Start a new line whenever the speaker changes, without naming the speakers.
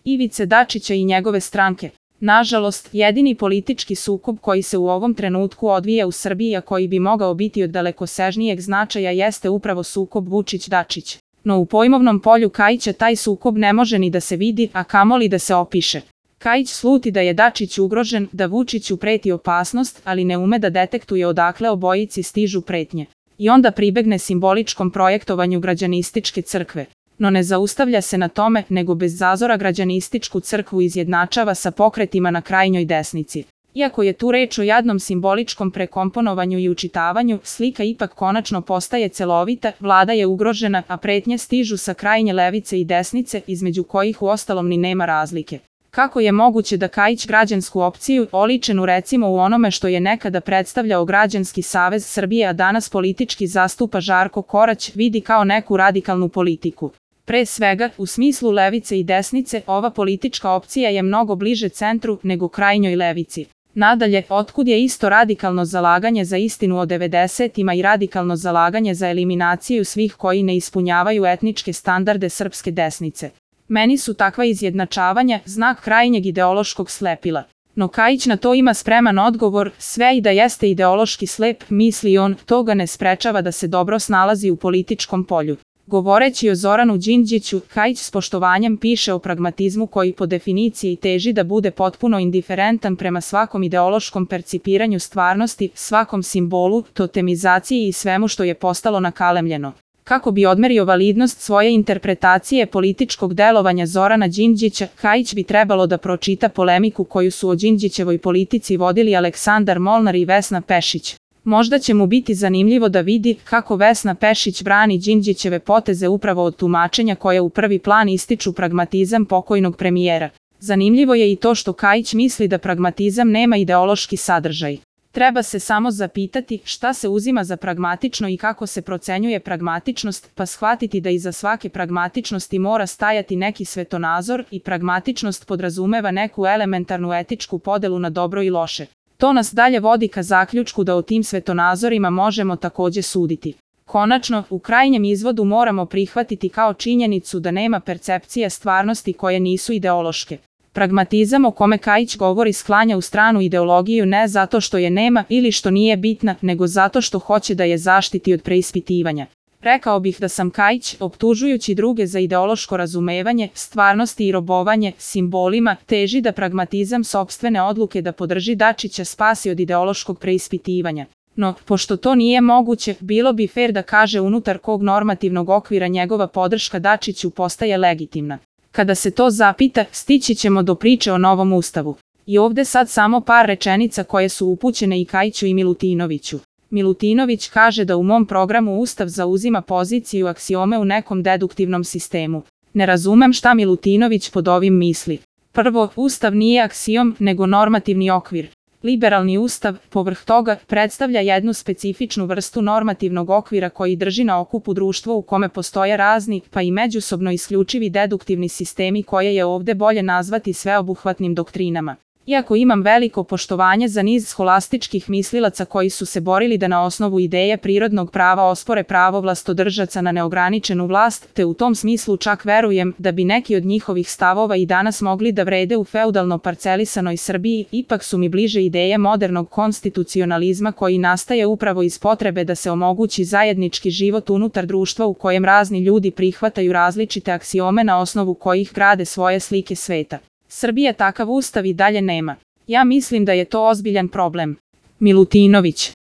Ivice Dačića i njegove stranke. Nažalost, jedini politički sukob koji se u ovom trenutku odvija u Srbiji, a koji bi mogao biti od dalekosežnijeg značaja, jeste upravo sukob Vučić-Dačić. No u pojmovnom polju Kaića taj sukob ne može ni da se vidi, a kamoli da se opiše. Kaić sluti da je Dačić ugrožen, da Vučiću preti opasnost, ali ne ume da detektuje odakle obojici stižu pretnje. I onda pribegne simboličkom projektovanju građanističke crkve. No ne zaustavlja se na tome, nego bez zazora građanističku crkvu izjednačava sa pokretima na krajnjoj desnici. Iako je tu reč o jadnom simboličkom prekomponovanju i učitavanju, slika ipak konačno postaje celovita, vlada je ugrožena, a pretnje stižu sa krajnje levice i desnice, između kojih uostalom ni nema razlike. Kako je moguće da Kaić građansku opciju, oličenu recimo u onome što je nekada predstavljao Građanski savez Srbije, a danas politički zastupa Žarko Korać, vidi kao neku radikalnu politiku? Pre svega, u smislu levice i desnice, ova politička opcija je mnogo bliže centru nego krajnjoj levici. Nadalje, otkud je isto radikalno zalaganje za istinu o 90-ima i radikalno zalaganje za eliminaciju svih koji ne ispunjavaju etničke standarde srpske desnice? Meni su takva izjednačavanja znak krajnjeg ideološkog slepila. No Kaić na to ima spreman odgovor, sve i da jeste ideološki slep, misli on, to ga ne sprečava da se dobro snalazi u političkom polju. Govoreći o Zoranu Đinđiću, Kaić s poštovanjem piše o pragmatizmu koji po definiciji teži da bude potpuno indiferentan prema svakom ideološkom percipiranju stvarnosti, svakom simbolu, totemizaciji i svemu što je postalo nakalemljeno. Kako bi odmerio validnost svoje interpretacije političkog delovanja Zorana Đinđića, Kaić bi trebalo da pročita polemiku koju su o Đinđićevoj politici vodili Aleksandar Molnar i Vesna Pešić. Možda će mu biti zanimljivo da vidi kako Vesna Pešić brani Đinđićeve poteze upravo od tumačenja koje u prvi plan ističu pragmatizam pokojnog premijera. Zanimljivo je i to što Kaić misli da pragmatizam nema ideološki sadržaj. Treba se samo zapitati šta se uzima za pragmatično i kako se procenjuje pragmatičnost, pa shvatiti da iza svake pragmatičnosti mora stajati neki svetonazor i pragmatičnost podrazumeva neku elementarnu etičku podelu na dobro i loše. To nas dalje vodi ka zaključku da o tim svetonazorima možemo takođe suditi. Konačno, u krajnjem izvodu moramo prihvatiti kao činjenicu da nema percepcija stvarnosti koje nisu ideološke. Pragmatizam o kome Kaić govori sklanja u stranu ideologiju ne zato što je nema ili što nije bitna, nego zato što hoće da je zaštiti od preispitivanja. Rekao bih da sam Kaić, optužujući druge za ideološko razumevanje, stvarnosti i robovanje simbolima, teži da pragmatizam sopstvene odluke da podrži Dačića spasi od ideološkog preispitivanja. No, pošto to nije moguće, bilo bi fer da kaže unutar kog normativnog okvira njegova podrška Dačiću postaje legitimna. Kada se to zapita, stići ćemo do priče o novom ustavu. I ovde sad samo par rečenica koje su upućene i Kaiću i Milutinoviću. Milutinović kaže da u mom programu Ustav zauzima poziciju aksiome u nekom deduktivnom sistemu. Ne razumem šta Milutinović pod ovim misli. Prvo, Ustav nije aksiom, nego normativni okvir. Liberalni ustav, povrh toga, predstavlja jednu specifičnu vrstu normativnog okvira koji drži na okupu društvo u kome postoje razni, pa i međusobno isključivi deduktivni sistemi koje je ovde bolje nazvati sveobuhvatnim doktrinama. Iako imam veliko poštovanje za niz scholastičkih mislilaca koji su se borili da na osnovu ideje prirodnog prava ospore pravo vlastodržaca na neograničenu vlast, te u tom smislu čak verujem da bi neki od njihovih stavova i danas mogli da vrede u feudalno parcelisanoj Srbiji, ipak su mi bliže ideje modernog konstitucionalizma koji nastaje upravo iz potrebe da se omogući zajednički život unutar društva u kojem razni ljudi prihvataju različite aksiome na osnovu kojih grade svoje slike sveta. Srbija takav ustav i dalje nema. Ja mislim da je to ozbiljan problem. Milutinović.